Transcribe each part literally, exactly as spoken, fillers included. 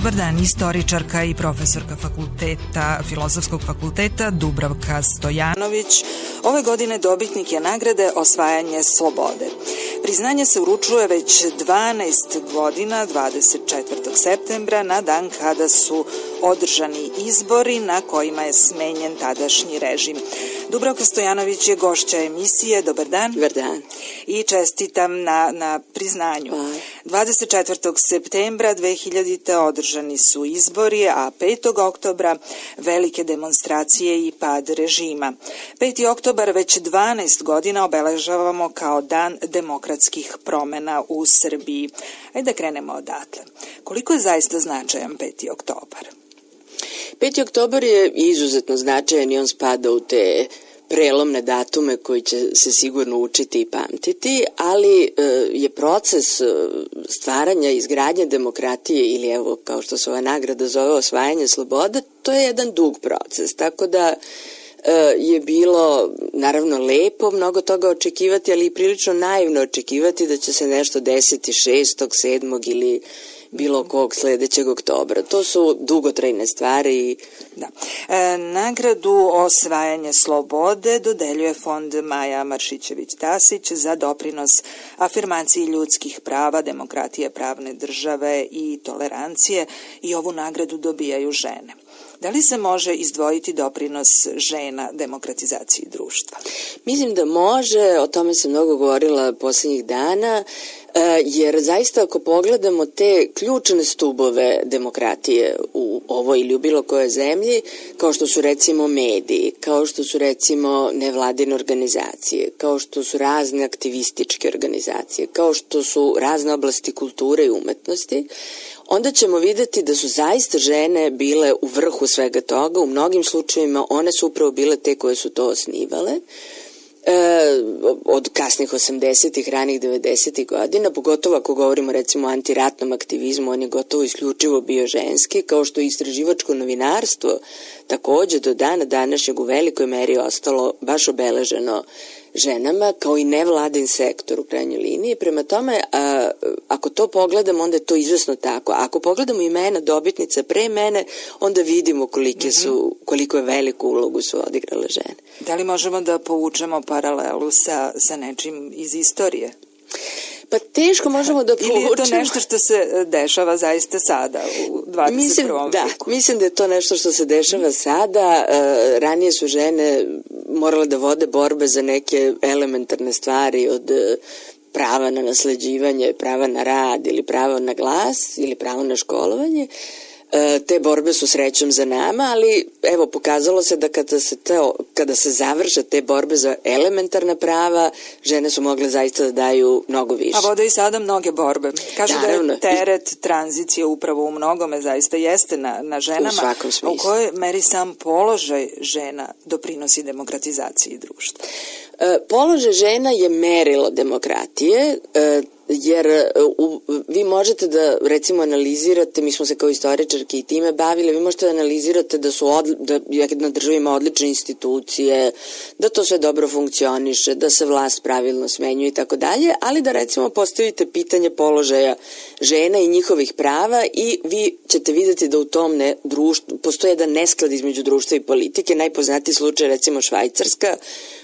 Dobar dan, istoričarka i profesorka fakulteta, Filozofskog fakulteta Dubravka Stojanović. Ove godine dobitnik je nagrade Osvajanje slobode. Priznanje se uručuje već dvanaest godina, dvadeset četvrtog septembra, na dan kada su održani izbori na kojima je smenjen tadašnji režim. Dubravka Stojanović je gošća emisije. Dobar dan. Dobar dan. I čestitam na, na priznanju. Hvala. dvadeset četvrtog septembra dve hiljadite. održani su izbori, a petog oktobra velike demonstracije i pad režima. peti oktobar već dvanaest godina obeležavamo kao dan demokratskih promena u Srbiji. Ajde da krenemo odatle. Koliko je zaista značajan peti oktobar? peti oktobar je izuzetno značajan i on spada u te prelomne datume koji će se sigurno učiti i pamtiti, ali e, je proces stvaranja i izgradnje demokratije ili evo kao što se ova nagrada zove osvajanje slobode, to je jedan dug proces, tako da e, je bilo naravno lepo mnogo toga očekivati, ali i prilično naivno očekivati da će se nešto desiti šestog, sedmog ili bilo kog sledećeg oktobra. To su dugotrajne stvari. Da. E, nagradu Osvajanje slobode dodeljuje Fond Maja Maršićević-Tasić za doprinos afirmaciji ljudskih prava, demokratije, pravne države i tolerancije, i ovu nagradu dobijaju žene. Da li se može izdvojiti doprinos žena demokratizaciji društva? Mislim da može, o tome sam mnogo govorila poslednjih dana, jer zaista ako pogledamo te ključne stubove demokratije u ovoj ili u bilo kojoj zemlji, kao što su recimo mediji, kao što su recimo nevladine organizacije, kao što su razne aktivističke organizacije, kao što su razne oblasti kulture i umetnosti, onda ćemo videti da su zaista žene bile u vrhu svega toga. U mnogim slučajevima one su upravo bile te koje su to osnivale. E, od kasnih osamdesetih, ranih devedesetih godina, pogotovo ako govorimo recimo o antiratnom aktivizmu, on je gotovo isključivo bio ženski, kao što je istraživačko novinarstvo takođe do dana današnjeg u velikoj meri ostalo baš obeleženo ženama, kao i nevladin sektor u krajnjoj liniji. Prema tome, a, ako to pogledamo, onda je to izvesno tako. Ako pogledamo imena dobitnica pre mene, onda vidimo kolike su, koliko je veliku ulogu su odigrale žene. Da li možemo da povučemo paralelu sa, sa nečim iz istorije? Pa teško možemo da povučemo. Ili je to nešto što se dešava zaista sada u dvadeset prvom mislim, veku? Da, mislim da je to nešto što se dešava sada. E, ranije su žene morale da vode borbe za neke elementarne stvari od prava na nasleđivanje, prava na rad ili pravo na glas ili pravo na školovanje. Te borbe su srećom za nama, ali evo pokazalo se da kada se, to, kada se završe te borbe za elementarna prava, žene su mogle zaista da daju mnogo više. A vode i sada mnoge borbe. Kažu Naravno. Da je teret tranzicije upravo u mnogome zaista jeste na, na ženama. U svakom smislu. U kojoj meri sam položaj žena doprinosi demokratizaciji društva? E, položaj žena je merilo demokratije, e, jer u, vi možete da recimo analizirate, mi smo se kao istoričarki i time bavili, vi možete da analizirate da su od, da jedna država ima odlične institucije, da to sve dobro funkcioniše, da se vlast pravilno smenjuje i tako dalje, ali da recimo postavite pitanje položaja žena i njihovih prava i vi ćete videti da u tom ne, društvu postoji jedan nesklad između društva i politike. Najpoznatiji slučaj recimo Švajcarska,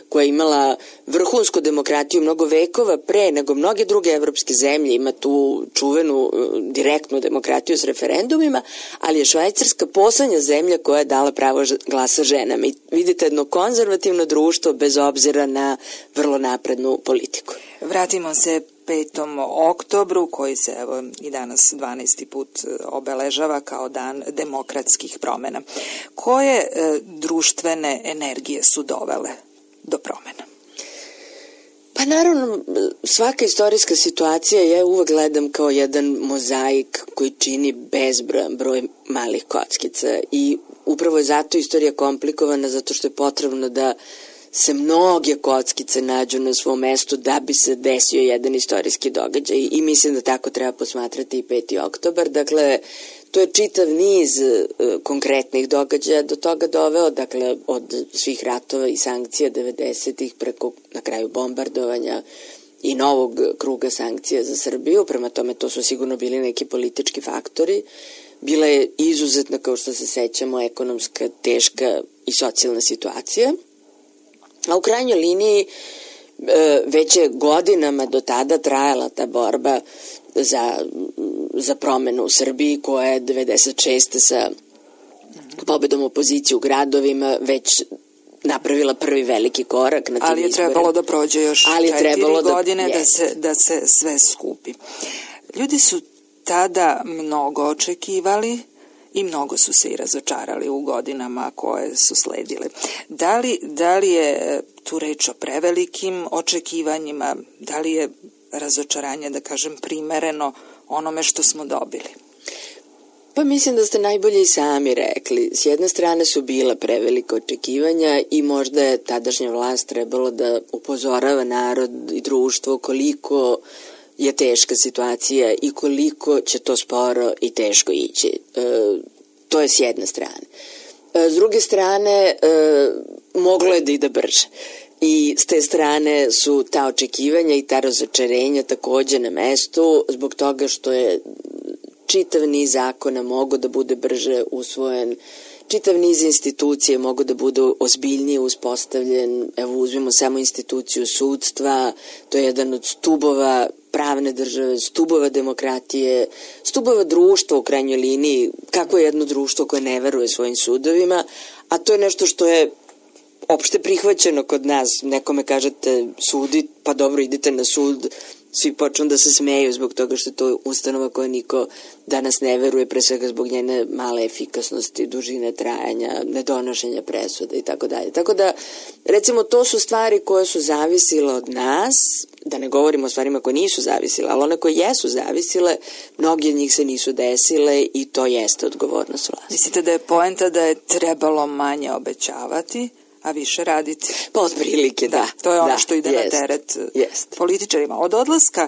koja je imala vrhunsku demokratiju mnogo vekova pre nego mnoge druge evropske zemlje, ima tu čuvenu direktnu demokratiju s referendumima, ali je Švajcarska poslednja zemlja koja je dala pravo glasa ženama. I vidite jedno konzervativno društvo bez obzira na vrlo naprednu politiku. Vratimo se petom oktobru, koji se evo i danas dvanaesti put obeležava kao dan demokratskih promena. Koje e, društvene energije su dovele do promena? Pa naravno, svaka istorijska situacija ja uvek gledam kao jedan mozaik koji čini bezbrojan broj malih kockica i upravo je zato istorija komplikovana, zato što je potrebno da se mnoge kockice nađu na svom mestu da bi se desio jedan istorijski događaj i mislim da tako treba posmatrati i peti oktobar. Dakle, to je čitav niz uh, konkretnih događaja do toga doveo, dakle od svih ratova i sankcija devedesetih preko na kraju bombardovanja i novog kruga sankcija za Srbiju, prema tome to su sigurno bili neki politički faktori bila je izuzetna, kao što se sećamo, ekonomska, teška i socijalna situacija. A u krajnjoj liniji već je godinama do tada trajala ta borba za, za promenu u Srbiji, koja je devedeset šeste sa pobedom opozicije u gradovima već napravila prvi veliki korak na tim Ali je izborima. trebalo da prođe još četiri godine da, da, se, da se sve skupi. Ljudi su tada mnogo očekivali i mnogo su se i razočarali u godinama koje su sledile. Da li, da li je tu reč o prevelikim očekivanjima, da li je razočaranje, da kažem, primereno onome što smo dobili? Pa mislim da ste najbolje i sami rekli. S jedne strane su bila prevelika očekivanja i možda je tadašnja vlast trebalo da upozorava narod i društvo koliko je teška situacija i koliko će to sporo i teško ići. E, to je s jedne strane. E, s druge strane, e, moglo je da ide brže. I s te strane su ta očekivanja i ta razočarenja takođe na mestu, zbog toga što je čitav niz zakona mogo da bude brže usvojen, čitav niz institucije mogo da bude ozbiljnije uspostavljen. Evo, uzmimo samo instituciju sudstva, to je jedan od stubova pravne države, stubova demokratije, stubova društva u krajnjoj liniji, kako je jedno društvo koje ne veruje svojim sudovima, a to je nešto što je opšte prihvaćeno kod nas. Nekome kažete sudi, pa dobro, idite na sud, svi počnu da se smeju zbog toga što je to ustanova koja niko danas ne veruje, pre svega zbog njene male efikasnosti, dužine trajanja, nedonošenja presuda i tako dalje. Tako da, recimo, to su stvari koje su zavisile od nas, da ne govorimo o stvarima koje nisu zavisile, ali one koje jesu zavisile, mnogi od njih se nisu desile i to jeste odgovornost vlasti. Mislite da je poenta da je trebalo manje obećavati, a više raditi? Pa otprilike, da. da. To je ono da, što ide jest, na teret jest. političarima. Od odlaska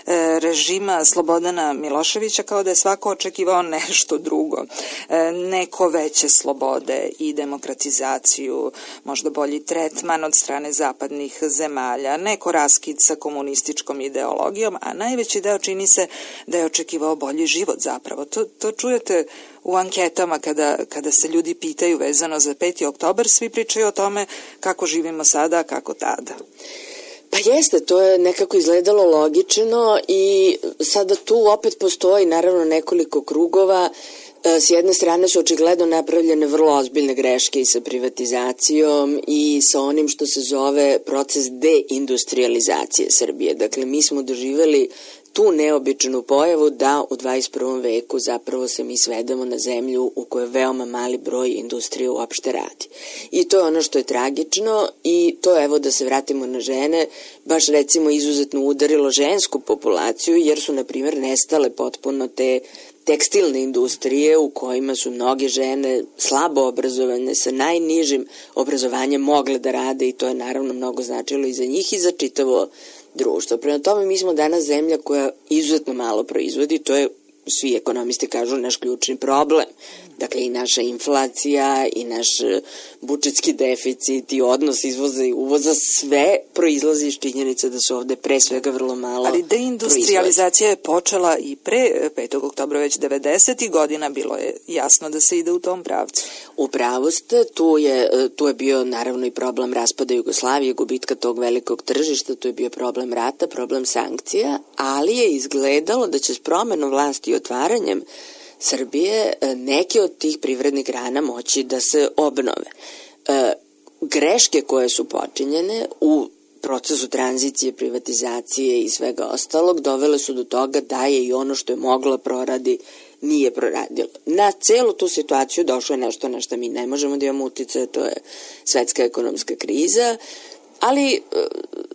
e, režima Slobodana Miloševića kao da je svako očekivao nešto drugo. E, neko veće slobode i demokratizaciju, možda bolji tretman od strane zapadnih zemalja, neko raskid sa komunističkom ideologijom, a najveći deo čini se da je očekivao bolji život zapravo. To, to čujete u anketama kada, kada se ljudi pitaju vezano za peti oktobar, svi pričaju o tome kako živimo sada, kako tada. Pa jeste, to je nekako izgledalo logično i sada tu opet postoji naravno nekoliko krugova. S jedne strane su očigledno napravljene vrlo ozbiljne greške i sa privatizacijom i sa onim što se zove proces deindustrializacije Srbije. Dakle, mi smo doživeli tu neobičnu pojavu da u dvadeset prvom veku zapravo se mi svedemo na zemlju u kojoj veoma mali broj industrije uopšte radi. I to je ono što je tragično i to, evo da se vratimo na žene, baš recimo izuzetno udarilo žensku populaciju jer su, na primjer, nestale potpuno te tekstilne industrije u kojima su mnoge žene slabo obrazovane sa najnižim obrazovanjem mogle da rade i to je naravno mnogo značilo i za njih i za čitavo društvo. Prema tome, mi smo danas zemlja koja izuzetno malo proizvodi, to je, svi ekonomisti kažu, naš ključni problem. Dakle, i naša inflacija, i naš budžetski deficit, i odnos izvoza i uvoza, sve proizlazi iz činjenice da su ovde pre svega vrlo malo Ali deindustrializacija je počela i pre petog oktobra, već devedesetih godina, bilo je jasno da se ide u tom pravcu. U pravu ste, tu je, tu je bio naravno i problem raspada Jugoslavije, gubitka tog velikog tržišta, tu je bio problem rata, problem sankcija, ali je izgledalo da će s promenom vlasti i otvaranjem Srbije neke od tih privrednih grana moći da se obnove. E, greške koje su počinjene u procesu tranzicije, privatizacije i svega ostalog dovele su do toga da je i ono što je moglo proradi nije proradilo. Na celu tu situaciju došlo je nešto na što mi ne možemo da imamo uticaja, to je svetska ekonomska kriza, ali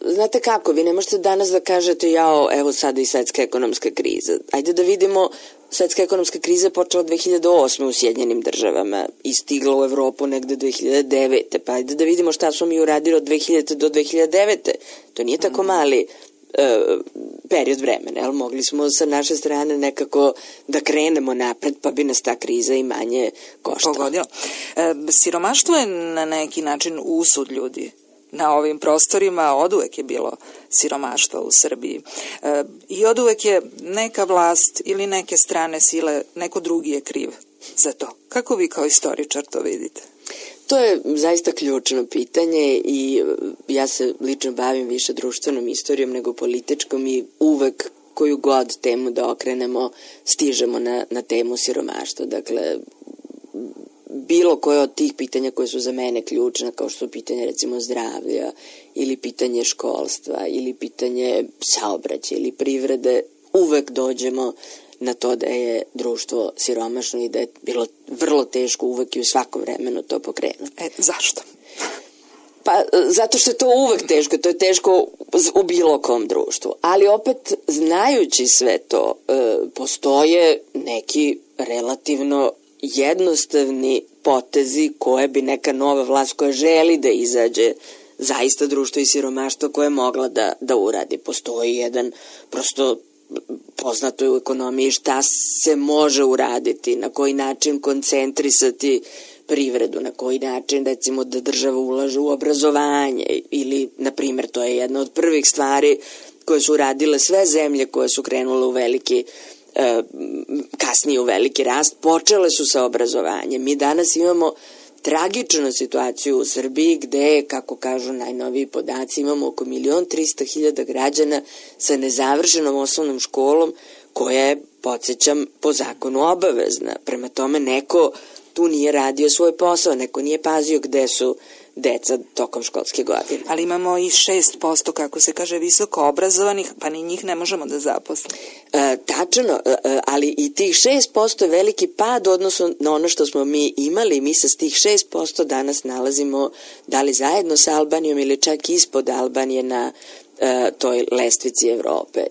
znate kako, vi ne možete danas da kažete jao, evo sada i svetska ekonomska kriza. Ajde da vidimo, svetska ekonomska kriza je počela dve hiljade osme u Sjedinjenim državama i stigla u Evropu negde dve hiljade devete. Pa ajde da vidimo šta smo mi uradili od dve hiljade do dve hiljade devete. To nije tako mali uh, period vremena, ali mogli smo sa naše strane nekako da krenemo napred, pa bi nas ta kriza i manje koštala. Pogodilo. E, siromaštvo je na neki način usud ljudi na ovim prostorima oduvek je bilo siromaštva u Srbiji. E, I oduvek je neka vlast ili neke strane sile, neko drugi je kriv za to. Kako vi kao istoričar to vidite? To je zaista ključno pitanje i ja se lično bavim više društvenom istorijom nego političkom i uvek koju god temu da okrenemo stižemo na, na temu siromaštva. Dakle, bilo koje od tih pitanja koje su za mene ključna, kao što su pitanje recimo zdravlja ili pitanje školstva ili pitanje saobraćaja ili privrede, uvek dođemo na to da je društvo siromašno i da je bilo vrlo teško uvek i u svakom vremenu to pokrenuti. E, zašto? Pa, zato što je to uvek teško, to je teško u bilo kom društvu. Ali opet, znajući sve to, e, postoje neki relativno jednostavni potezi koje bi neka nova vlast koja želi da izađe zaista društvo i siromaštvo koje je mogla da, da uradi. Postoji jedan, prosto poznato je u ekonomiji šta se može uraditi, na koji način koncentrisati privredu, na koji način recimo da država ulaže u obrazovanje ili, na primjer, to je jedna od prvih stvari koje su uradile sve zemlje koje su krenule u veliki e, kasnije u veliki rast, počele su sa obrazovanjem. Mi danas imamo tragičnu situaciju u Srbiji gde, kako kažu najnoviji podaci, imamo oko milion trista hiljada građana sa nezavršenom osnovnom školom koja je, podsjećam, po zakonu obavezna. Prema tome, neko tu nije radio svoj posao, neko nije pazio gde su deca tokom školske godine. Ali imamo i šest posto, kako se kaže, visoko obrazovanih, pa ni njih ne možemo da zaposlimo. E, tačno, e, ali i tih šest posto je veliki pad odnosno na ono što smo mi imali. Mi se s tih šest posto danas nalazimo da li zajedno sa Albanijom ili čak ispod Albanije na e, toj lestvici Evrope.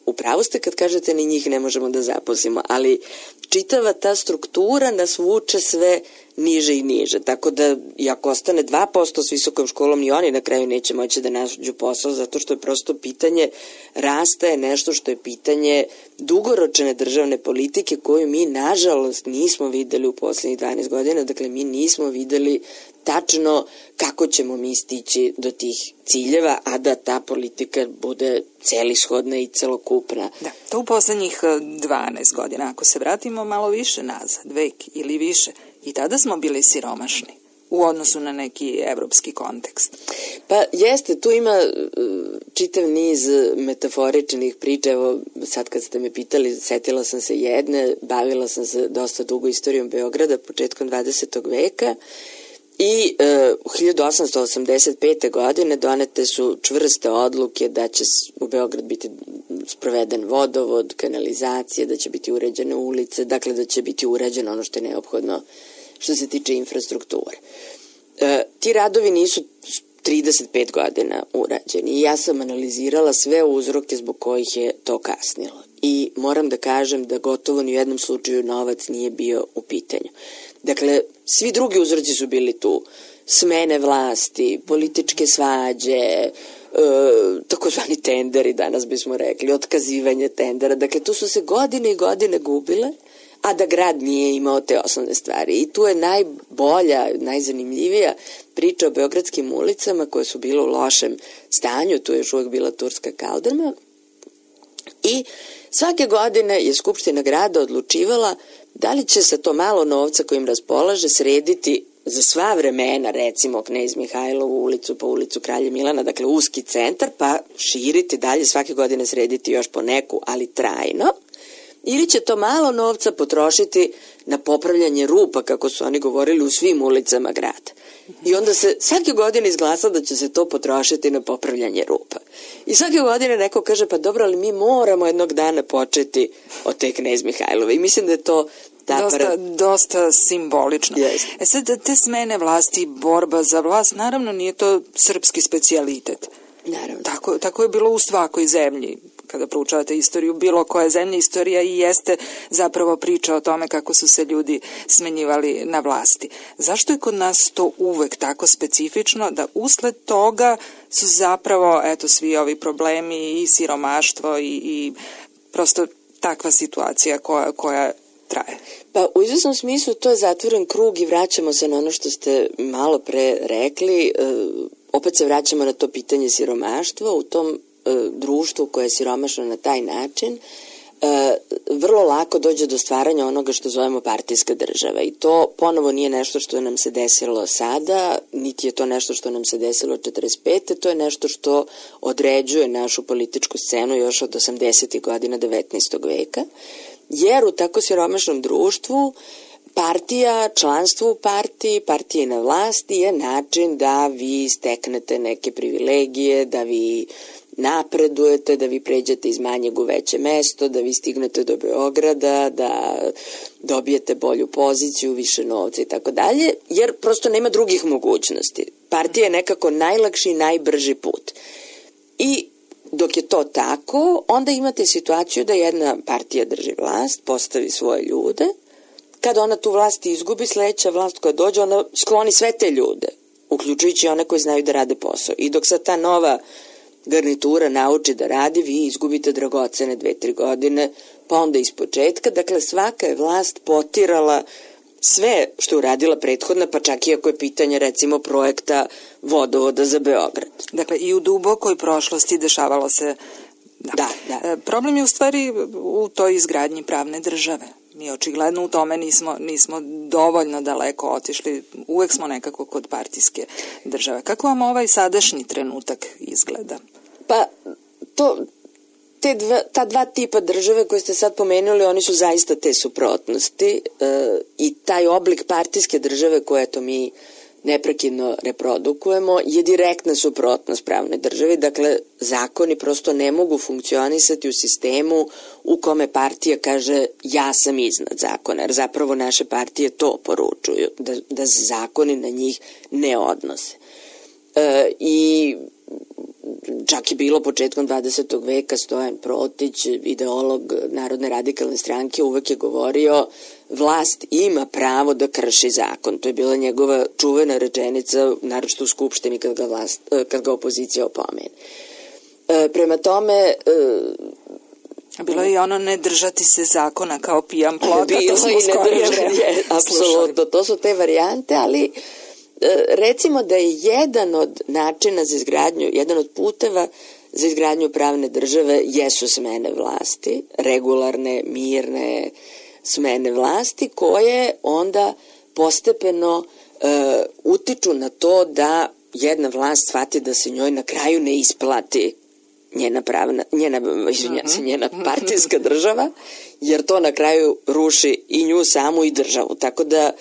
Upravo ste kad kažete ni njih ne možemo da zaposlimo, ali čitava ta struktura nas vuče sve niže i niže, tako da i ako ostane dva posto s visokom školom, ni oni na kraju neće moći da nađu posao, zato što je prosto pitanje rasta je nešto što je pitanje dugoročne državne politike koju mi nažalost nismo videli u poslednjih dvanaest godina, dakle mi nismo videli tačno kako ćemo mi stići do tih ciljeva, a da ta politika bude celishodna i celokupna. Da, to u poslednjih dvanaest godina, ako se vratimo malo više nazad, vek ili više, i tada smo bili siromašni u odnosu na neki evropski kontekst. Pa jeste, tu ima čitav niz metaforičnih priča. Evo, sad kad ste me pitali, setila sam se jedne, bavila sam se dosta dugo istorijom Beograda početkom dvadesetog veka i e, u hiljadu osamsto osamdeset pete. godine donete su čvrste odluke da će u Beograd biti sproveden vodovod, kanalizacije, da će biti uređene ulice, dakle da će biti uređeno ono što je neophodno što se tiče infrastrukture. E, ti radovi nisu trideset pet godina urađeni i ja sam analizirala sve uzroke zbog kojih je to kasnilo. I moram da kažem da gotovo ni u jednom slučaju novac nije bio u pitanju. Dakle, svi drugi uzroci su bili tu. Smene vlasti, političke svađe, e, takozvani tenderi, danas bismo rekli, otkazivanje tendera. Dakle, tu su se godine i godine gubile, a da grad nije imao te osnovne stvari. I tu je najbolja, najzanimljivija priča o beogradskim ulicama koje su bile u lošem stanju. Tu je još uvijek bila turska kaldrma. I svake godine je Skupština grada odlučivala da li će sa to malo novca kojim raspolaže srediti za sva vremena, recimo Knez Mihajlovu ulicu pa ulicu Kralja Milana, dakle uski centar, pa širiti dalje, svake godine srediti još po neku, ali trajno, ili će to malo novca potrošiti na popravljanje rupa, kako su oni govorili, u svim ulicama grada. I onda se svake godine izglasa da će se to potrošiti na popravljanje rupa. I svake godine neko kaže, pa dobro, ali mi moramo jednog dana početi od te Knez Mihajlove. I mislim da je to Dosta, para... dosta simbolično. Yes. E sad, te smene vlasti, borba za vlast, naravno nije to srpski specijalitet. Naravno. Tako, tako je bilo u svakoj zemlji. Kada proučavate istoriju bilo koje zemlje, istorija i jeste zapravo priča o tome kako su se ljudi smenjivali na vlasti. Zašto je kod nas to uvek tako specifično da usled toga su zapravo eto svi ovi problemi i siromaštvo i, i prosto takva situacija koja, koja traje? Pa u izvesnom smislu to je zatvoren krug i vraćamo se na ono što ste malo pre rekli. opet se vraćamo na to pitanje siromaštva, u tom e, društvu koje je siromašno na taj način, E, vrlo lako dođe do stvaranja onoga što zovemo partijska država i to ponovo nije nešto što nam se desilo sada, niti je to nešto što nam se desilo četrdeset pete. To je nešto što određuje našu političku scenu još od osamdesetih godina devetnaestog veka, jer u tako siromašnom društvu partija, članstvo u partiji, partije na vlasti je način da vi steknete neke privilegije, da vi napredujete, da vi pređete iz manjeg u veće mesto, da vi stignete do Beograda, da dobijete bolju poziciju, više novca i tako dalje, jer prosto nema drugih mogućnosti. Partija je nekako najlakši i najbrži put. I dok je to tako, onda imate situaciju da jedna partija drži vlast, postavi svoje ljude, kada ona tu vlast izgubi, sledeća vlast koja dođe, ona skloni sve te ljude, uključujući one koji znaju da rade posao. I dok sad ta nova garnitura nauči da radi, vi izgubite dragocene dve, tri godine, pa onda iz početka. Dakle, svaka je vlast potirala sve što je uradila prethodna, pa čak i ako je pitanje, recimo, projekta vodovoda za Beograd. Dakle, i u dubokoj prošlosti dešavalo se... Da, da. da. Problem je u stvari u toj izgradnji pravne države. Mi očigledno u tome nismo, nismo dovoljno daleko otišli, uvek smo nekako kod partijske države. Kako vam ovaj sadašnji trenutak izgleda? Pa, to, te dva, ta dva tipa države koje ste sad pomenuli, oni su zaista te suprotnosti e, i taj oblik partijske države koje to mi neprekidno reprodukujemo je direktna suprotnost pravne države. Dakle, zakoni prosto ne mogu funkcionisati u sistemu u kome partija kaže ja sam iznad zakona, jer zapravo naše partije to poručuju, da, da zakoni na njih ne odnose. E, I čak je bilo početkom dvadesetog veka Stojan Protić, ideolog Narodne radikalne stranke, uvek je govorio vlast ima pravo da krši zakon. To je bila njegova čuvena rečenica, naročito u Skupštini kad ga, vlast, kad ga opozicija opomene. E, prema tome... E, bilo je i ono ne držati se zakona kao pijan plota. Bilo i ne držati, apsolutno, to su te varijante, ali recimo da je jedan od načina za izgradnju, jedan od puteva za izgradnju pravne države jesu smene vlasti, regularne, mirne smene vlasti, koje onda postepeno e, utiču na to da jedna vlast shvati da se njoj na kraju ne isplati njena pravna, njena, izvinjam se, njena partijska država, jer to na kraju ruši i nju samu i državu. Tako da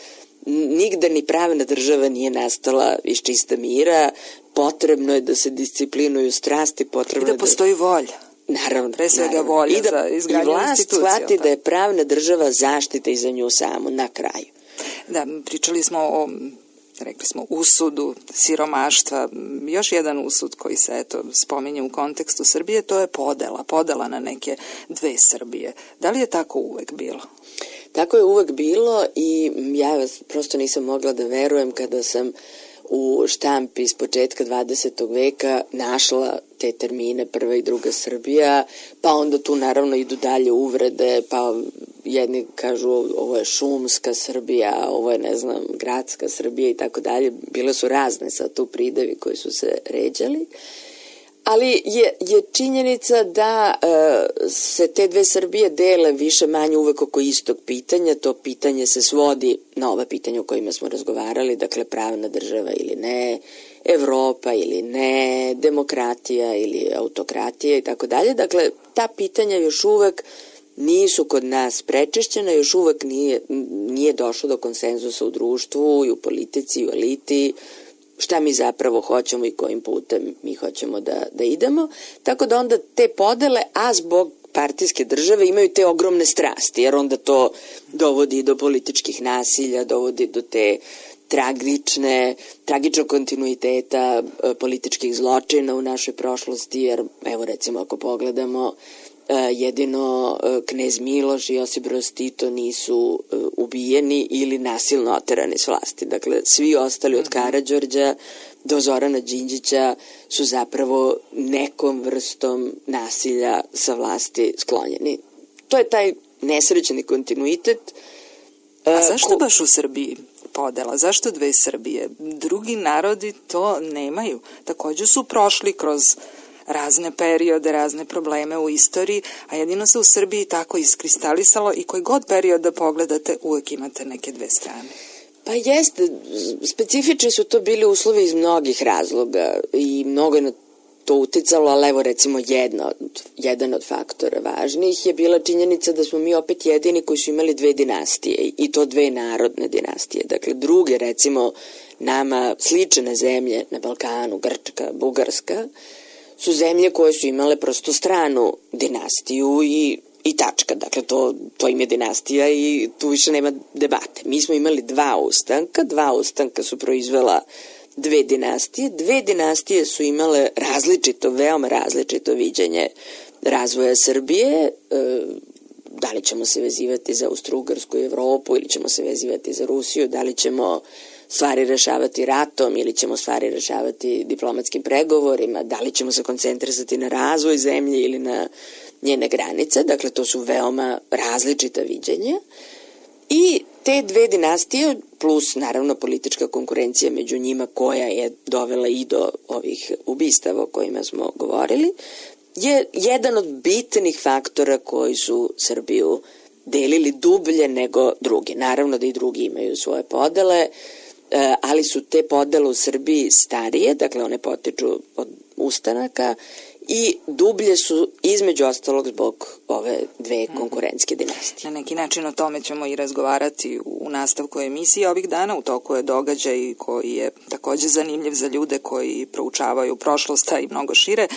nigde ni pravna država nije nastala iz čista mira, potrebno je da se disciplinuju strasti, potrebno i da postoji da... volja. Naravno. Pre svega volja da, za izgradnju institucija. I vlast shvati da je pravna država zaštita i za nju samu, na kraju. Da, pričali smo o, rekli smo, usudu siromaštva. Još jedan usud koji se, eto, spominje u kontekstu Srbije, to je podela. Podela na neke dve Srbije. Da li je tako uvek bilo? Tako je uvek bilo i ja prosto nisam mogla da verujem kada sam u štampi iz početka dvadesetog veka našla te termine prva i druga Srbija, pa onda tu naravno idu dalje uvrede, pa jedni kažu ovo je šumska Srbija, ovo je, ne znam, gradska Srbija i tako dalje. Bile su razne sad tu pridevi koji su se ređali. Ali je, je činjenica da e, se te dve Srbije dele više manje uvek oko istog pitanja. To pitanje se svodi na ova pitanja o kojima smo razgovarali, dakle pravna država ili ne, Evropa ili ne, demokratija ili autokratija i tako dalje. Dakle, ta pitanja još uvek nisu kod nas prečišćena, još uvek nije, nije došlo do konsenzusa u društvu i u politici i u eliti, šta mi zapravo hoćemo i kojim putem mi hoćemo da, da idemo. Tako da onda te podele, a zbog partijske države imaju te ogromne strasti, jer onda to dovodi do političkih nasilja, dovodi do te tragične, tragičnog kontinuiteta e, političkih zločina u našoj prošlosti, jer evo recimo ako pogledamo, jedino knez Miloš i Josip Broz Tito nisu ubijeni ili nasilno oterani s vlasti. Dakle, svi ostali od Karađorđa do Zorana Đinđića su zapravo nekom vrstom nasilja sa vlasti sklonjeni. To je taj nesrećeni kontinuitet. A zašto ko... baš u Srbiji? podela? Zašto dve Srbije? Drugi narodi to nemaju. Takođe su prošli kroz razne periode, razne probleme u istoriji, a jedino se u Srbiji tako iskristalisalo i koji god period da pogledate, uvek imate neke dve strane. Pa jeste, specifični su to bili uslovi iz mnogih razloga i mnogo je na to uticalo, ali evo recimo jedna od, jedan od faktora važnijih je bila činjenica da smo mi opet jedini koji su imali dve dinastije i to dve narodne dinastije. Dakle, druge recimo nama slične zemlje na Balkanu, Grčka, Bugarska, su zemlje koje su imale prosto stranu dinastiju i, i tačka. Dakle, to, to im je dinastija i tu više nema debate. Mi smo imali dva ustanka, dva ustanka su proizvela dve dinastije. Dve dinastije su imale različito, veoma različito viđenje razvoja Srbije. E, da li ćemo se vezivati za Austro-Ugarsku Evropu ili ćemo se vezivati za Rusiju, da li ćemo stvari rešavati ratom ili ćemo stvari rešavati diplomatskim pregovorima, da li ćemo se koncentrisati na razvoj zemlje ili na njene granice. Dakle, to su veoma različita viđenja. I te dve dinastije, plus naravno politička konkurencija među njima koja je dovela i do ovih ubistava o kojima smo govorili, je jedan od bitnih faktora koji su Srbiju delili dublje nego drugi. Naravno da i drugi imaju svoje podele, ali su te podele u Srbiji starije, dakle one potiču od ustanaka i dublje su između ostalog zbog ove dve konkurentske dinastije. Na neki način o tome ćemo i razgovarati u nastavku emisije ovih dana. U toku je događaj koji je takođe zanimljiv za ljude koji proučavaju prošlost, a i mnogo šire.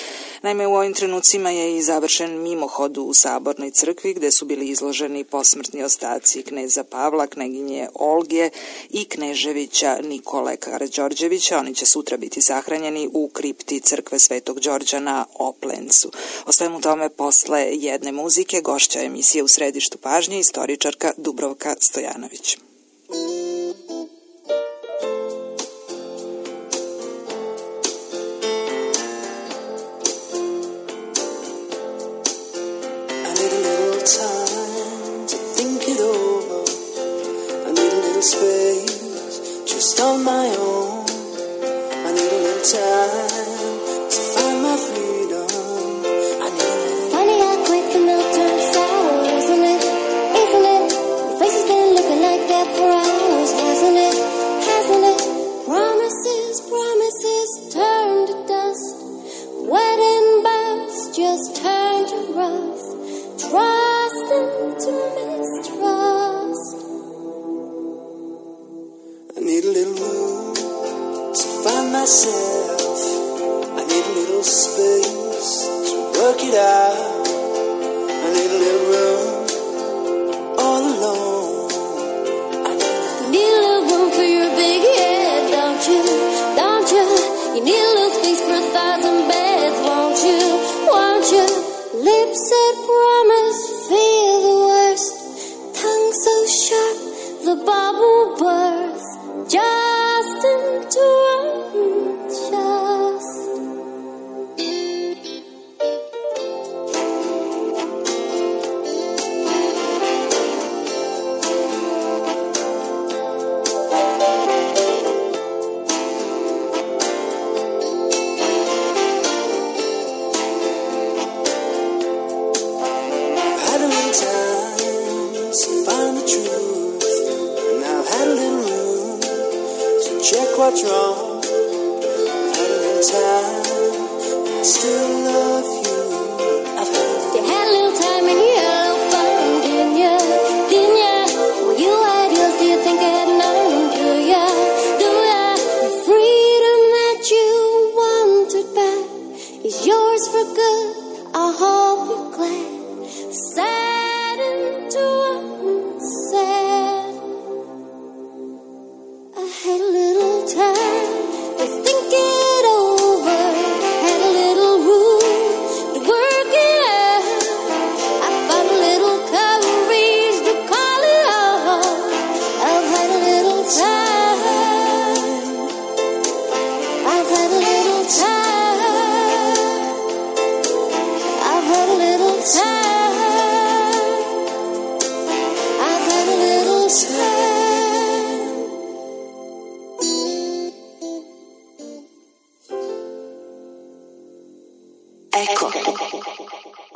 Naime, u ovim trenucima je i završen mimohod u Sabornoj crkvi gde su bili izloženi posmrtni ostaci kneza Pavla, kneginje Olge i kneževića Nikole Karađorđevića. Oni će sutra biti sahranjeni u kripti crkve Svetog Đorđa na Oplencu. O svemu tome posle jedne muzike, gošća emisije U središtu pažnje, istoričarka Dubravka Stojanović. What's wrong? Had a little time, I still love you. I've had you had a little time and you had a little fun, didn't you? Didn't you? Well, you had yours, do you think I had none? Do ya? Do ya? The freedom that you wanted back is yours for good. I hope you're glad. Saddened to unsaid. I had a little time to think it over, had a little room to work it out. I found a little courage to call it off. I've had a little time, I've had a little time, I've had a little time. Eko.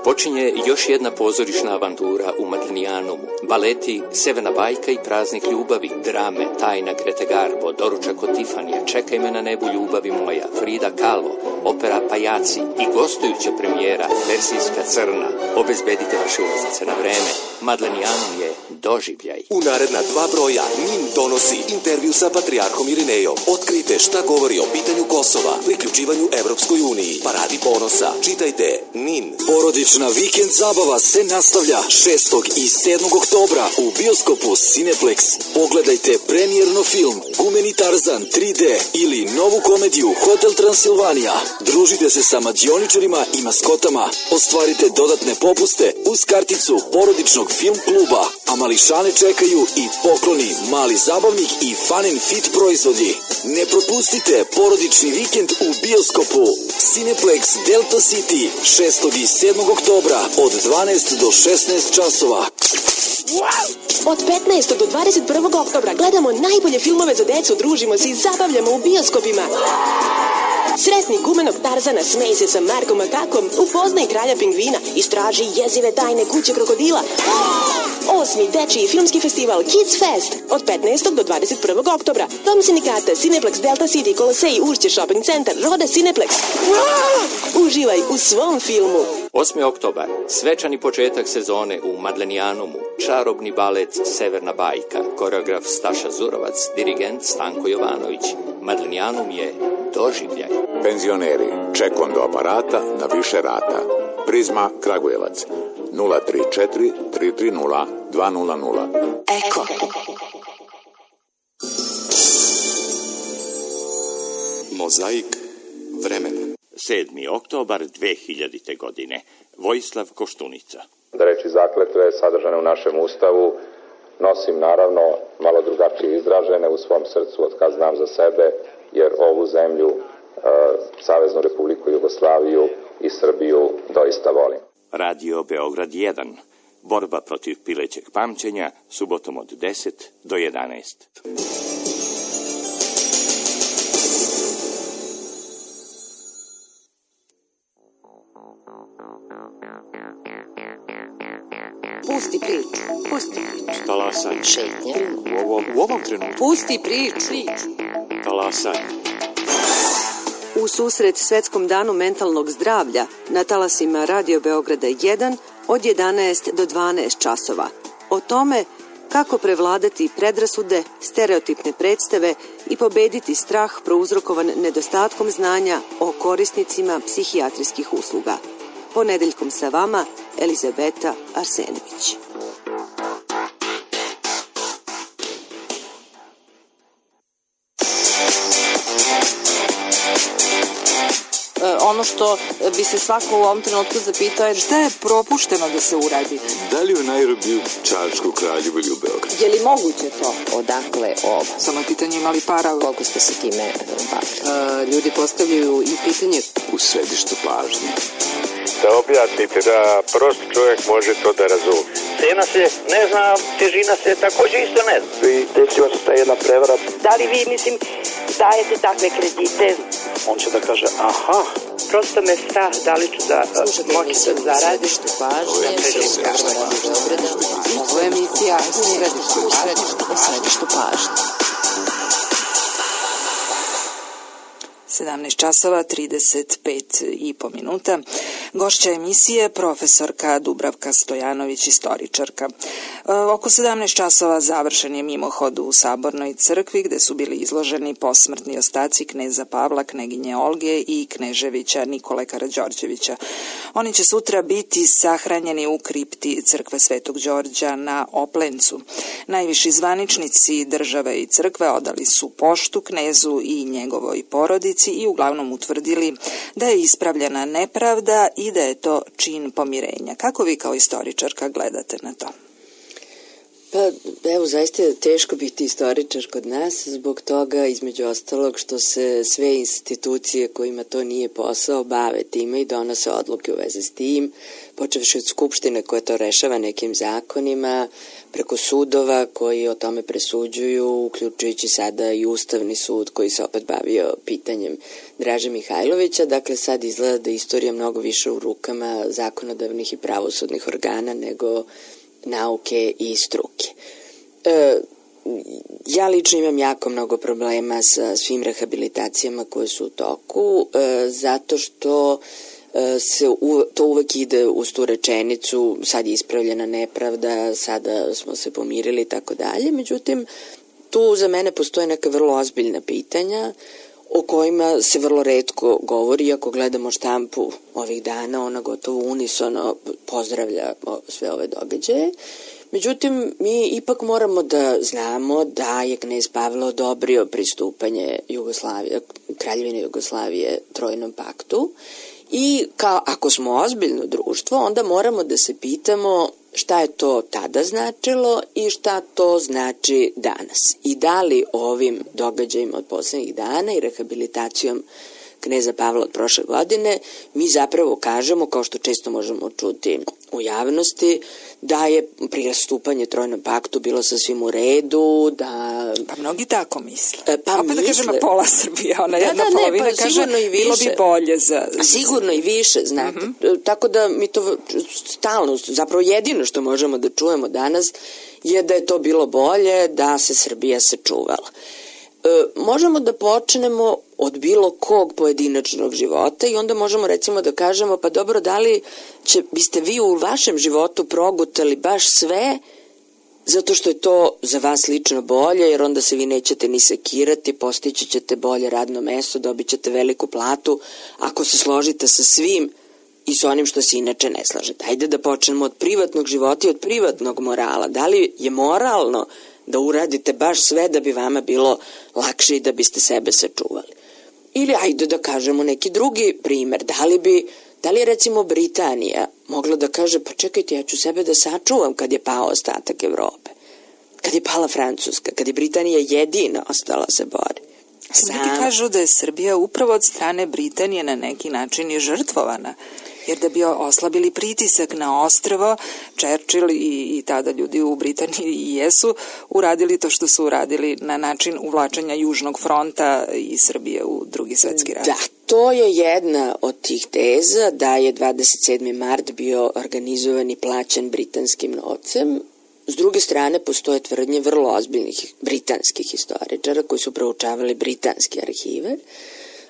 Počinje još jedna pozorišna avantura u Maglinijanumu. Baleti Severna bajka i Praznik ljubavi, drame Tajna Grete Garbo, Doručak od Tifanija, Čekaj me na nebu ljubavi moja, Frida Kahlo, opera Pajaci i gostujuća premijera Persijska crna. Obezbedite vaše ulaznice na vreme. Maglinijanum je doživljaj. U naredna dva broja Nin donosi intervju sa patrijarhom Irinejom. Otkrite šta govori o pitanju Kosova, priključivanju Evropskoj uniji, paradi ponosa. Čitajte Nin. Porodična vikend zabava se nastavlja šestog i sedmog oktobra u bioskopu Cineplex. Pogledajte premijerno film Gumeni Tarzan tri D ili novu komediju Hotel Transilvanija. Družite se sa mađioničarima i maskotama. Ostvarite dodatne popuste uz karticu porodičnog film kluba, a mališane čekaju i pokloni, mali zabavnik i fun and fit proizvodi. Ne propustite porodični vikend u bioskopu Cineplex Delta City šestog i sedmog oktobra od dvanaest do šesnaest časova. Od petnaestog do dvadeset prvog oktobra gledamo najbolje filmove za decu, družimo se i zabavljamo u bioskopima. Sretni gumenog Tarzana, smej se sa Markom Makakom, upoznaj kralja pingvina, istraži jezive tajne kuće krokodila. Osmi dečiji filmski festival Kids Fest od petnaestog do dvadeset prvog oktobra. Dom sindikata, Cineplex Delta City, Kolosej, Ušće Shopping Centar, Roda Cineplex. Uživaj u svom filmu. osmi oktobar, svečani početak sezone u Maglinijanumu, čarobni balet Severna bajka, koreograf Staša Zurovac, dirigent Stanko Jovanović. Maglinijanum je doživljaj. Penzioneri, čekom do aparata na više rata. Prizma Kragujevac, nula tri četiri tri tri nula dva nula nula. Eko. Mozaik vremena. sedmi oktobar dve hiljadite. godine. Vojislav Koštunica. Da reči zakletve sadržane u našem ustavu nosim naravno malo drugačije izražene u svom srcu od kad znam za sebe, jer ovu zemlju, e, Saveznu Republiku Jugoslaviju i Srbiju doista volim. Radio Beograd jedan. Borba protiv pilećeg pamćenja, subotom od deset do jedanaest. Pusti priču, pusti priču. Talasaj. Šetnje. U ovom, u ovom trenutku. Pusti priču. Talasaj. U susret Svetskom danu mentalnog zdravlja na talasima Radio Beograda jedan od jedanaest do dvanaest časova. O tome kako prevladati predrasude, stereotipne predstave i pobediti strah prouzrokovan nedostatkom znanja o korisnicima psihijatrijskih usluga. Ponedeljkom sa vama Elizabeta Arsenović. Ono što bi se svako u ovom trenutku zapitao je šta je propušteno da se uradi. Da li u Nairobiju, Čačku, Kraljevu ili u Beogradu? Je li moguće to? Odakle ovo? Samo je pitanje imali para. Koliko ste se time bavili? Ljudi postavljaju i pitanje U središtu pažnje. Da objasnite da prost čovjek može to da razumije. Cena se ne zna, težina se također isto ne zna. I desila se ta jedna prevara. Da li vi, mislim, dajete takve kredite? On će da kaže, aha. Prosto me strah da li ću da moći da zaradim. Ovo je emisija u središtu pažnje. sedamnaest časova, trideset pet i po minuta. Gošća emisije profesorka Dubravka Stojanović, istoričarka. Oko sedamnaest časova završen je mimohod u Sabornoj crkvi gde su bili izloženi posmrtni ostaci kneza Pavla, kneginje Olge i kneževića Nikole Karađorđevića. Oni će sutra biti sahranjeni u kripti crkve Svetog Đorđa na Oplencu. Najviši zvaničnici države i crkve odali su poštu knezu i njegovoj porodici i uglavnom utvrdili da je ispravljena nepravda i da je to čin pomirenja. Kako vi kao istoričarka gledate na to? Pa evo, zaista je teško biti istoričar kod nas zbog toga, između ostalog, što se sve institucije kojima to nije posao bave time i donose odluke u vezi s tim, počevši od Skupštine koja to rešava nekim zakonima, preko sudova koji o tome presuđuju, uključujući sada i Ustavni sud koji se opet bavio pitanjem Draže Mihajlovića. Dakle, sad izgleda da je istorija mnogo više u rukama zakonodavnih i pravosudnih organa nego nauke i struke. E, ja lično imam jako mnogo problema sa svim rehabilitacijama koje su u toku, e, zato što e, se u, to uvek ide uz tu rečenicu, sad je ispravljena nepravda, sada smo se pomirili i tako dalje. Međutim, tu za mene postoje neka vrlo ozbiljna pitanja o kojima se vrlo retko govori. Ako gledamo štampu ovih dana, ona gotovo unisono pozdravlja sve ove događaje. Međutim, mi ipak moramo da znamo da je knez Pavle odobrio pristupanje Jugoslavije, Kraljevine Jugoslavije Trojnom paktu i kao ako smo ozbiljno društvo, onda moramo da se pitamo šta je to tada značilo i šta to znači danas. I da li ovim događajima od poslednjih dana i rehabilitacijom kneza Pavla od prošle godine mi zapravo kažemo, kao što često možemo čuti u javnosti, da je pristupanje Trojnom paktu bilo sasvim u redu, da... Pa mnogi tako misle. Pa opet misle... da kažemo pola Srbije, ona da, jedna da, polovina ne, pa, kaže bilo bi bolje za... Sigurno i više, znate. Uh -huh. Tako da mi to stalno, zapravo jedino što možemo da čujemo danas je da je to bilo bolje, da se Srbija sačuvala. E, možemo da počnemo od bilo kog pojedinačnog života i onda možemo recimo da kažemo pa dobro, da li će, biste vi u vašem životu progutali baš sve zato što je to za vas lično bolje, jer onda se vi nećete ni sekirati, postići ćete bolje radno mesto, dobit ćete veliku platu ako se složite sa svim i sa onim što se inače ne slažete. Ajde da počnemo od privatnog života i od privatnog morala. Da li je moralno da uradite baš sve da bi vama bilo lakše i da biste sebe sačuvali? Ili ajde da kažemo neki drugi primer, da li bi, da li je recimo Britanija mogla da kaže pa čekajte, ja ću sebe da sačuvam kad je pao ostatak Evrope, kad je pala Francuska, kad je Britanija jedina ostala se bori. Neki kažu da je Srbija upravo od strane Britanije na neki način je žrtvovana, jer da bi oslabili pritisak na ostrvo, Churchill i, i tada ljudi u Britaniji i jesu uradili to što su uradili na način uvlačenja Južnog fronta i Srbije u drugi svetski rat. Da, to je jedna od tih teza da je dvadeset sedmi mart bio organizovan i plaćen britanskim novcem. S druge strane, postoje tvrdnje vrlo ozbiljnih britanskih historičara koji su proučavali britanske arhive,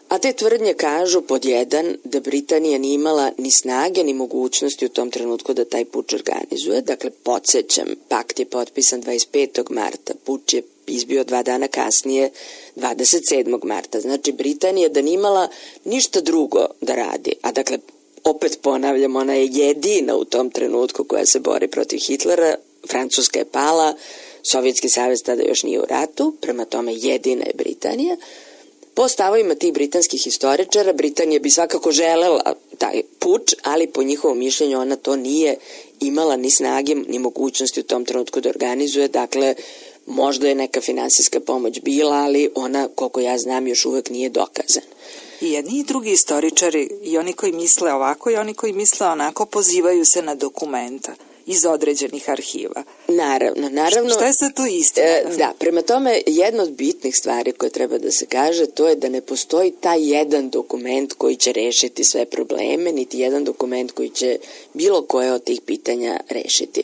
a te tvrdnje kažu pod jedan da Britanija nije imala ni snage ni mogućnosti u tom trenutku da taj puč organizuje. Dakle, podsjećam, pakt je potpisan dvadeset petog marta, puč je izbio dva dana kasnije, dvadeset sedmog marta. Znači, Britanija da nije imala ništa drugo da radi, a dakle, opet ponavljam, ona je jedina u tom trenutku koja se bori protiv Hitlera, Francuska je pala, Sovjetski savez tada još nije u ratu, prema tome jedina je Britanija. Po stavovima tih britanskih historičara, Britanija bi svakako želela taj puč, ali po njihovom mišljenju ona to nije imala ni snage, ni mogućnosti u tom trenutku da organizuje. Dakle, možda je neka finansijska pomoć bila, ali ona, koliko ja znam, još uvek nije dokazana. I jedni i drugi istoričari, i oni koji misle ovako i oni koji misle onako, pozivaju se na dokumenta iz određenih arhiva. Naravno, naravno. Šta je sad to istina? E, da, prema tome, jedna od bitnih stvari koje treba da se kaže, to je da ne postoji taj jedan dokument koji će rešiti sve probleme, niti jedan dokument koji će bilo koje od tih pitanja rešiti.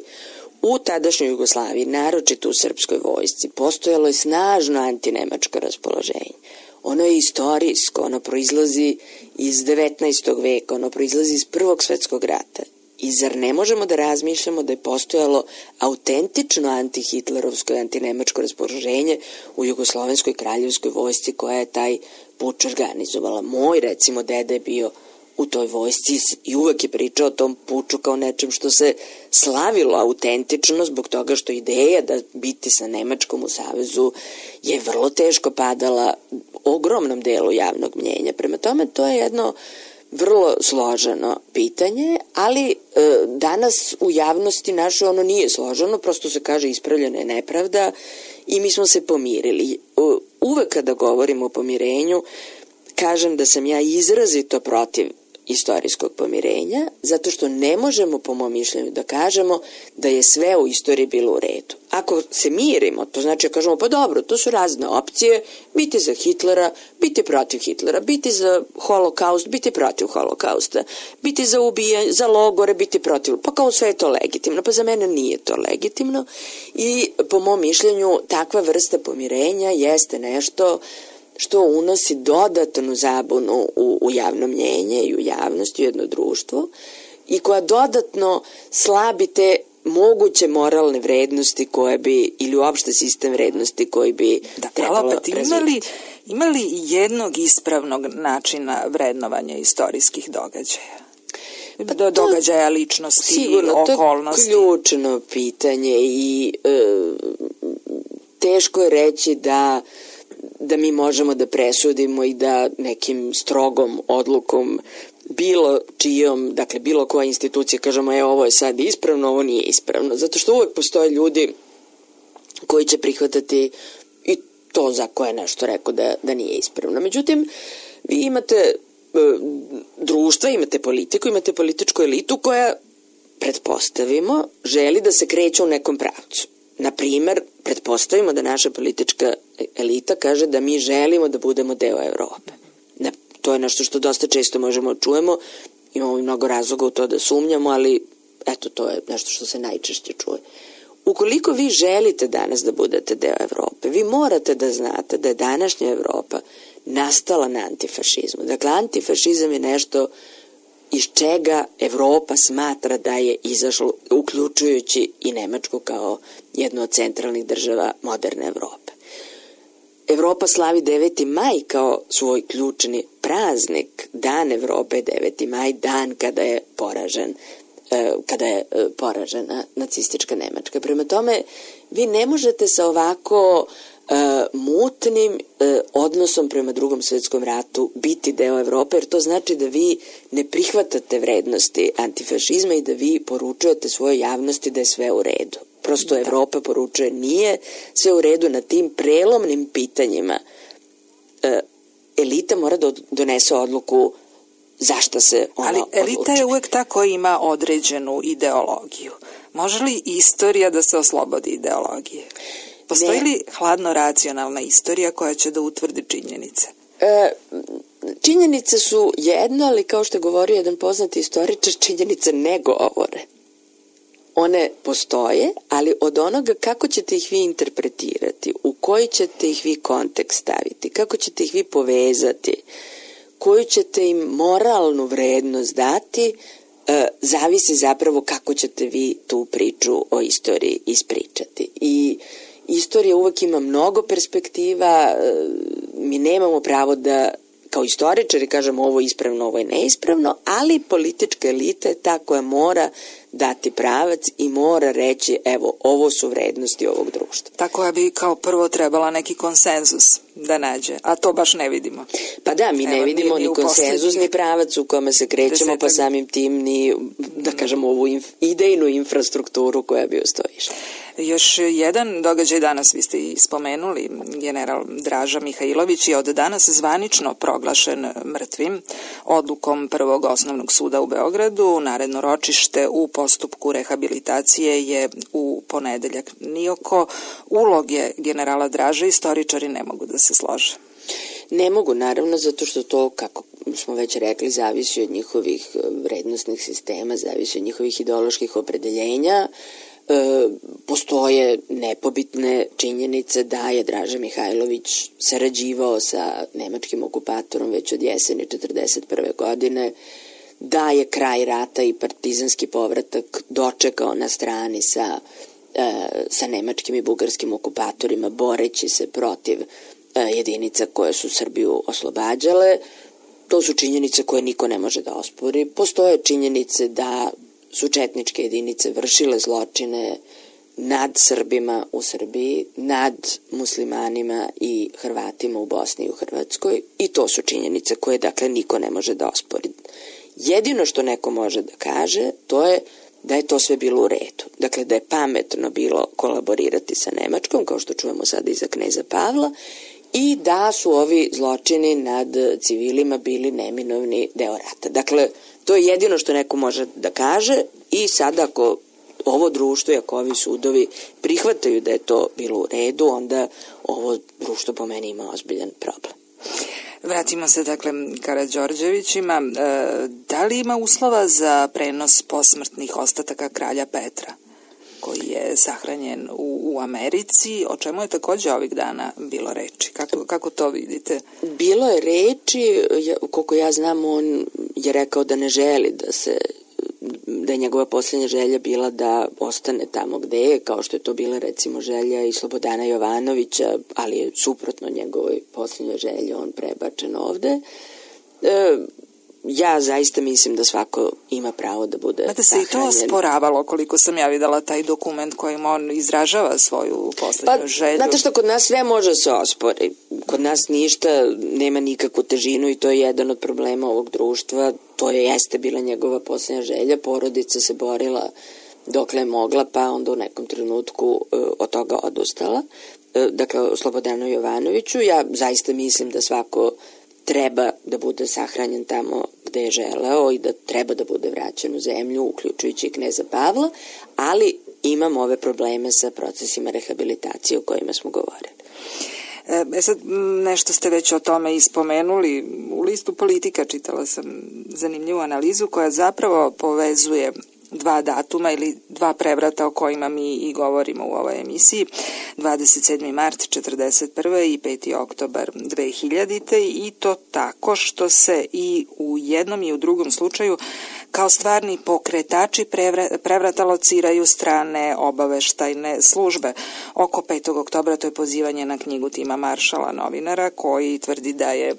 U tadašnjoj Jugoslaviji, naročito u srpskoj vojsci, postojalo je snažno antinemačko raspoloženje. Ono je istorijsko, ono proizlazi iz devetnaestog veka, ono proizlazi iz Prvog svetskog rata. I zar ne možemo da razmišljamo da je postojalo autentično antihitlerovsko i antinemačko raspoloženje u Jugoslovenskoj kraljevskoj vojsci koja je taj puč organizovala? Moj, recimo, deda je bio u toj vojsci i uvek je pričao o tom puču kao nečem što se slavilo autentično zbog toga što ideja da biti sa Nemačkom u savezu je vrlo teško padala ogromnom delu javnog mnjenja. Prema tome, to je jedno vrlo složeno pitanje, ali e, danas u javnosti našoj ono nije složeno, prosto se kaže ispravljena je nepravda i mi smo se pomirili. Uvek kada govorimo o pomirenju, kažem da sam ja izrazito protiv istorijskog pomirenja, zato što ne možemo po mom mišljenju da kažemo da je sve u istoriji bilo u redu. Ako se mirimo, to znači da kažemo pa dobro, to su razne opcije, biti za Hitlera, biti protiv Hitlera, biti za holokaust, biti protiv holokausta, biti za ubijanje, za logore, biti protiv, pa kao sve je to legitimno, pa za mene nije to legitimno i po mom mišljenju takva vrsta pomirenja jeste nešto što unosi dodatnu zabunu u, u javno mnjenje i u javnost, u jedno društvo i koja dodatno slabi te moguće moralne vrednosti koje bi, ili uopšte sistem vrednosti koji bi da, trebalo opet, imali, imali jednog ispravnog načina vrednovanja istorijskih događaja? Pa do događaja ličnosti, sigurno, okolnosti. Sigurno, to je ključno pitanje i e, teško je reći da da mi možemo da presudimo i da nekim strogom odlukom bilo čijom, dakle bilo koja institucija kažemo e ovo je sad ispravno, ovo nije ispravno, zato što uvek postoje ljudi koji će prihvatati i to za koje je nešto rekao da, da nije ispravno. Međutim, vi imate e, društva, imate politiku, imate političku elitu koja, pretpostavimo, želi da se kreće u nekom pravcu. Na primer, pretpostavimo da naša politička elita kaže da mi želimo da budemo deo Evrope. To je nešto što dosta često možemo čujemo, imamo i mnogo razloga u to da sumnjamo, ali eto, to je nešto što se najčešće čuje. Ukoliko vi želite danas da budete deo Evrope, vi morate da znate da je današnja Evropa nastala na antifašizmu. Dakle, antifašizam je nešto iz čega Evropa smatra da je izašlo, uključujući i Nemačku kao jednu od centralnih država moderne Evrope. Evropa slavi deveti maj kao svoj ključni praznik. Dan Evrope je deveti maj, dan kada je poražen, kada je poražena nacistička Nemačka. Prema tome, vi ne možete sa ovako Uh, mutnim uh, odnosom prema Drugom svetskom ratu biti deo Evrope, jer to znači da vi ne prihvatate vrednosti antifašizma i da vi poručujete svojoj javnosti da je sve u redu. Prosto da. Evropa poručuje nije sve u redu na tim prelomnim pitanjima. Uh, elita mora da donese odluku zašto se ona Ali elita odluči. Je uvek ta koja ima određenu ideologiju. Može li istorija da se oslobodi ideologije? Postoji li hladno racionalna istorija koja će da utvrdi činjenice? E, činjenice su jedno, ali kao što je govorio jedan poznati istoričar, činjenice ne govore. One postoje, ali od onoga kako ćete ih vi interpretirati, u koji ćete ih vi kontekst staviti, kako ćete ih vi povezati, koju ćete im moralnu vrednost dati, e, zavisi zapravo kako ćete vi tu priču o istoriji ispričati. I istorija uvek ima mnogo perspektiva, mi nemamo pravo da kao istoričari kažemo ovo je ispravno, ovo je neispravno, ali politička elita je ta koja mora dati pravac i mora reći evo ovo su vrednosti ovog društva. Ta koja bi kao prvo trebala neki konsenzus da nađe, a to baš ne vidimo. Pa da, mi evo, ne vidimo ni, ni konsenzus ni pravac u kome se krećemo, desetak. Pa samim tim ni, da kažemo, ovu inf, idejnu infrastrukturu koja bi ustojišla. Još jedan događaj danas, vi ste i spomenuli, general Draža Mihajlović je od danas zvanično proglašen mrtvim odlukom Prvog osnovnog suda u Beogradu. Naredno ročište u postupku rehabilitacije je u ponedeljak. Ni oko uloge generala Draže istoričari ne mogu da se slože. Ne mogu, naravno, zato što to, kako smo već rekli, zavisi od njihovih vrednostnih sistema, zavisi od njihovih ideoloških opredeljenja. E, postoje nepobitne činjenice da je Draža Mihajlović sarađivao sa nemačkim okupatorom već od jeseni četrdeset prve godine, da je kraj rata i partizanski povratak dočekao na strani sa, e, sa nemačkim i bugarskim okupatorima, boreći se protiv e, jedinica koje su Srbiju oslobađale. To su činjenice koje niko ne može da ospori. Postoje činjenice da su četničke jedinice vršile zločine nad Srbima u Srbiji, nad muslimanima i Hrvatima u Bosni i u Hrvatskoj, i to su činjenice koje, dakle, niko ne može da ospori. Jedino što neko može da kaže, to je da je to sve bilo u redu. Dakle, da je pametno bilo kolaborirati sa Nemačkom, kao što čujemo sada iza kneza Pavla, i da su ovi zločini nad civilima bili neminovni deo rata. Dakle, to je jedino što neko može da kaže, i sada ako ovo društvo i ako ovi sudovi prihvataju da je to bilo u redu, onda ovo društvo po meni ima ozbiljan problem. Vratimo se dakle Karađorđevićima. E, da li ima uslova za prenos posmrtnih ostataka kralja Petra, koji je sahranjen u, u Americi, o čemu je takođe ovih dana bilo reči? Kako, kako to vidite? Bilo je reči, koliko ja znam, on je rekao da ne želi da se da je njegova posljednja želja bila da ostane tamo gde je, kao što je to bila recimo želja i Slobodana Jovanovića, ali je suprotno njegovoj posljednjoj želji on prebačen ovde. E, ja zaista mislim da svako ima pravo da bude Znate sahranjen. se i to osporavalo, koliko sam ja videla taj dokument kojim on izražava svoju posljednju pa, želju. Znate što, kod nas sve može se ospori. Kod nas ništa nema nikakvu težinu i to je jedan od problema ovog društva. To je jeste bila njegova posljednja želja. Porodica se borila dokle je mogla, pa onda u nekom trenutku e, od toga odustala. E, dakle, o Slobodanu Jovanoviću. Ja zaista mislim da svako treba da bude sahranjen tamo gde je želeo i da treba da bude vraćen u zemlju, uključujući i kneza Pavla, ali imam ove probleme sa procesima rehabilitacije o kojima smo govorili. E sad, nešto ste već o tome ispomenuli. U listu Politika čitala sam zanimljivu analizu koja zapravo povezuje dva datuma ili dva prevrata o kojima mi i govorimo u ovoj emisiji, dvadeset sedmi mart četrdeset prve i peti oktobar dve hiljadite, i to tako što se i u jednom i u drugom slučaju kao stvarni pokretači prevrata lociraju strane obaveštajne službe. Oko petog oktobra to je pozivanje na knjigu Tima Maršala, novinara, koji tvrdi da je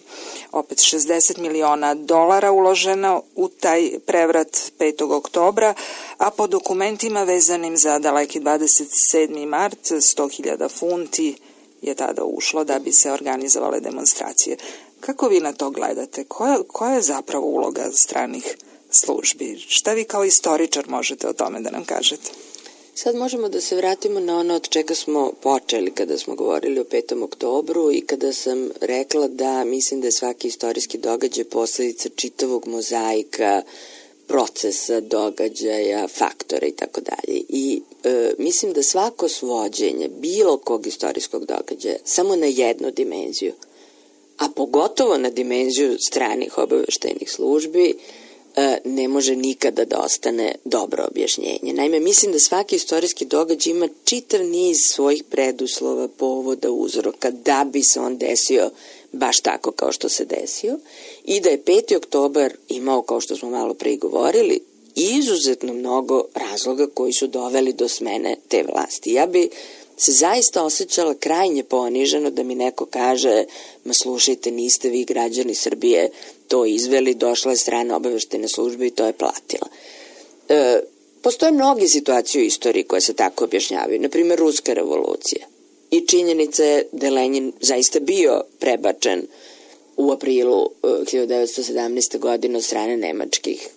opet šezdeset miliona dolara uloženo u taj prevrat petog oktobra, a po dokumentima vezanim za daleki dvadeset sedmi mart sto hiljada funti je tada ušlo da bi se organizovale demonstracije. Kako vi na to gledate? Koja, koja je zapravo uloga stranih službi? Šta vi kao istoričar možete o tome da nam kažete? Sad možemo da se vratimo na ono od čega smo počeli kada smo govorili o petom oktobru i kada sam rekla da mislim da je svaki istorijski događaj posledica čitavog mozaika procesa, događaja, faktora i tako dalje. I e, mislim da svako svođenje bilo kog istorijskog događaja samo na jednu dimenziju, a pogotovo na dimenziju stranih obaveštajnih službi, e, ne može nikada da ostane dobro objašnjenje. Naime, mislim da svaki istorijski događaj ima čitav niz svojih preduslova, povoda, uzroka, da bi se on desio baš tako kao što se desio, i da je peti oktobar imao, kao što smo malo pre govorili, izuzetno mnogo razloga koji su doveli do smene te vlasti. Ja bi se zaista osjećala krajnje poniženo da mi neko kaže, ma slušajte, niste vi građani Srbije to izveli, došla je strana obaveštajne službe i to je platila. E, postoje mnoge situacije u istoriji koje se tako objašnjavaju, na primjer Ruska revolucija. I činjenica je da je Lenjin zaista bio prebačen u aprilu hiljadu devetsto sedamnaeste. godine od strane nemačkih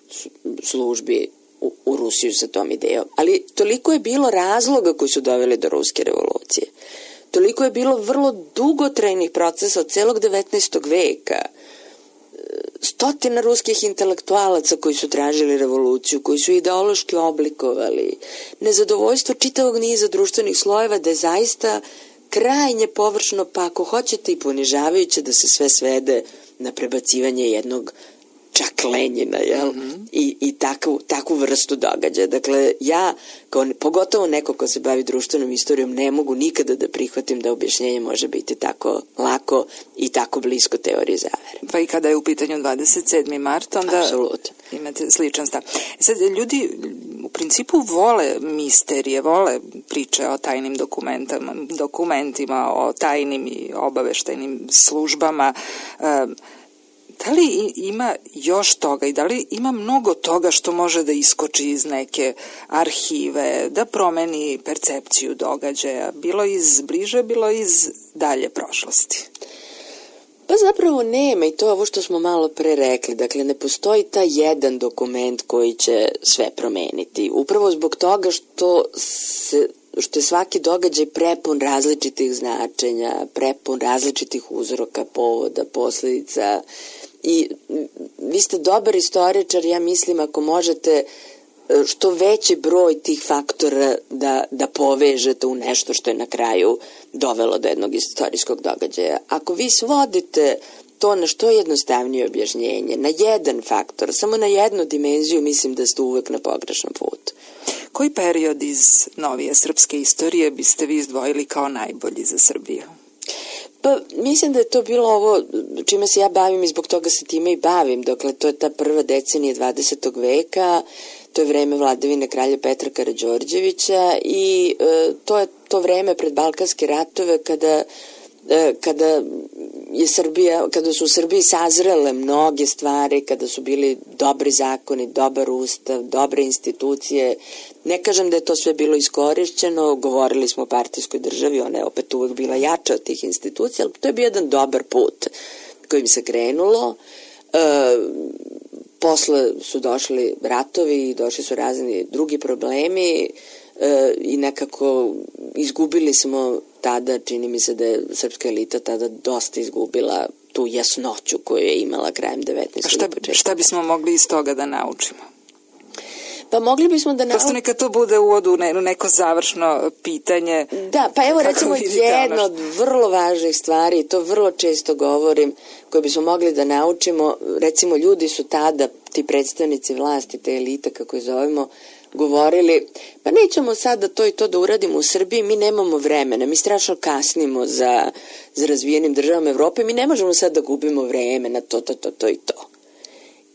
službi u, u Rusiju sa tom idejom. Ali toliko je bilo razloga koji su doveli do Ruske revolucije. Toliko je bilo vrlo dugotrajnih procesa od celog devetnaestog. veka. Stotina ruskih intelektualaca koji su tražili revoluciju, koji su ideološki oblikovali nezadovoljstvo čitavog niza društvenih slojeva, da je zaista krajnje površno, pa ako hoćete i ponižavajuće, da se sve svede na prebacivanje jednog čak Lenjina, jel? Mm-hmm. I, i takvu, takvu vrstu događaja. Dakle, ja, kao, pogotovo neko ko se bavi društvenom istorijom, ne mogu nikada da prihvatim da objašnjenje može biti tako lako i tako blisko teoriji zavere. Pa i kada je u pitanju dvadeset sedmi mart, onda apsolutno imate sličan stav. Sad, ljudi u principu vole misterije, vole priče o tajnim dokumentima, dokumentima o tajnim i obaveštajnim službama. Da li ima još toga i da li ima mnogo toga što može da iskoči iz neke arhive, da promeni percepciju događaja, bilo iz bliže, bilo iz dalje prošlosti? Pa zapravo nema, i to je ovo što smo malo pre rekli. Dakle, ne postoji taj jedan dokument koji će sve promeniti. Upravo zbog toga što se što je svaki događaj prepun različitih značenja, prepun različitih uzroka, povoda, posledica. I vi ste dobar istoričar, ja mislim, ako možete što veći broj tih faktora da, da povežete u nešto što je na kraju dovelo do jednog istorijskog događaja. Ako vi svodite to na što jednostavnije objašnjenje, na jedan faktor, samo na jednu dimenziju, mislim da ste uvek na pogrešnom putu. Koji period iz novije srpske istorije biste vi izdvojili kao najbolji za Srbiju? Pa mislim da je to bilo ovo čime se ja bavim i zbog toga se time i bavim. Dakle, to je ta prva decenija dvadesetog veka, to je vreme vladavine kralja Petra Karađorđevića i e, to je to vreme pred Balkanske ratove kada e, kada je Srbija, kada su u Srbiji sazrele mnoge stvari, kada su bili dobri zakoni, dobar ustav, dobre institucije. Ne kažem da je to sve bilo iskorišćeno, govorili smo o partijskoj državi, ona je opet uvek bila jača od tih institucija, ali to je bio jedan dobar put kojim se krenulo. E, posle su došli ratovi i došli su razni drugi problemi e, i nekako izgubili smo tada, čini mi se da je srpska elita tada dosta izgubila tu jasnoću koju je imala krajem devetnaestog. A šta, šta bismo mogli iz toga da naučimo? Pa mogli bismo da naučimo... Prosto neka to bude uvod u neko završno pitanje. Da, pa evo recimo jedna od vrlo važnih stvari, to vrlo često govorim, koje bismo mogli da naučimo, recimo ljudi su tada, ti predstavnici vlasti, te elite kako je zovemo, govorili, pa nećemo sada to i to da uradimo u Srbiji, mi nemamo vremena, mi strašno kasnimo za, za razvijenim državama Evrope, mi ne možemo sad da gubimo vreme na to, to, to, to i to.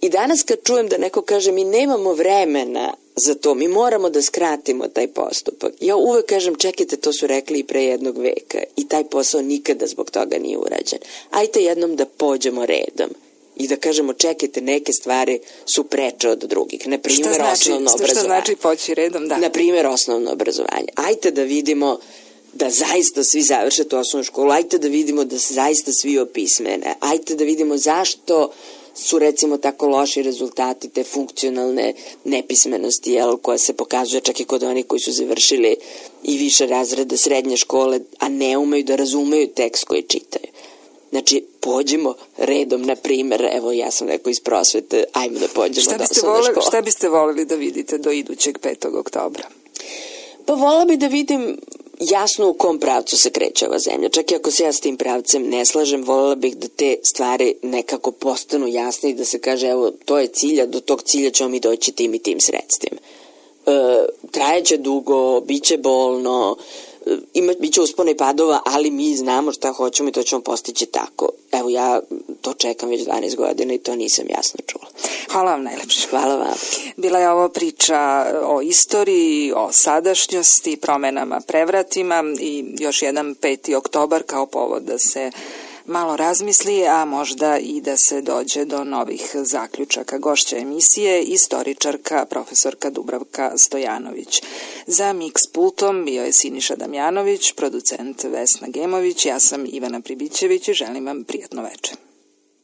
I danas kad čujem da neko kaže mi nemamo vremena za to, mi moramo da skratimo taj postupak, ja uvek kažem čekajte, to su rekli i pre jednog veka i taj posao nikada zbog toga nije urađen. Ajte jednom da pođemo redom i da kažemo čekajte, neke stvari su preče od drugih. Na primjer, znači, osnovno obrazovanje. Šta znači poći redom? Da. Na primjer, osnovno obrazovanje. Ajte da vidimo da zaista svi završe tu osnovnu školu, ajte da vidimo da se zaista svi opismene, ajte da vidimo zašto su recimo tako loši rezultati te funkcionalne nepismenosti, jel, koja se pokazuje čak i kod onih koji su završili i više razrede srednje škole, a ne umeju da razumeju tekst koji čitaju. Znači, pođimo redom, na primjer, evo ja sam rekao iz prosvete, ajmo da pođemo do osnovne škole. Šta biste voleli da vidite do idućeg petog oktobra? Pa vola bi da vidim jasno u kom pravcu se kreće ova zemlja. Čak i ako se ja s tim pravcem ne slažem, voljela bih da te stvari nekako postanu jasne i da se kaže, evo, to je cilja, do tog cilja ćemo mi doći tim i tim sredstvima. E, trajeće dugo, bit će bolno, ima, bit će uspona i padova, ali mi znamo šta hoćemo i to ćemo postići tako. Evo, ja to čekam već dvanaest godina i to nisam jasno čula. Hvala vam najlepše. Hvala vam. Bila je ovo priča o istoriji, o sadašnjosti, promenama, prevratima i još jedan peti oktobar kao povod da se malo razmisli, a možda i da se dođe do novih zaključaka. Gošća emisije, istoričarka, profesorka Dubravka Stojanović. Za Mix pultom bio je Siniša Damjanović, producent Vesna Gemović, ja sam Ivana Pribićević i želim vam prijatno večer.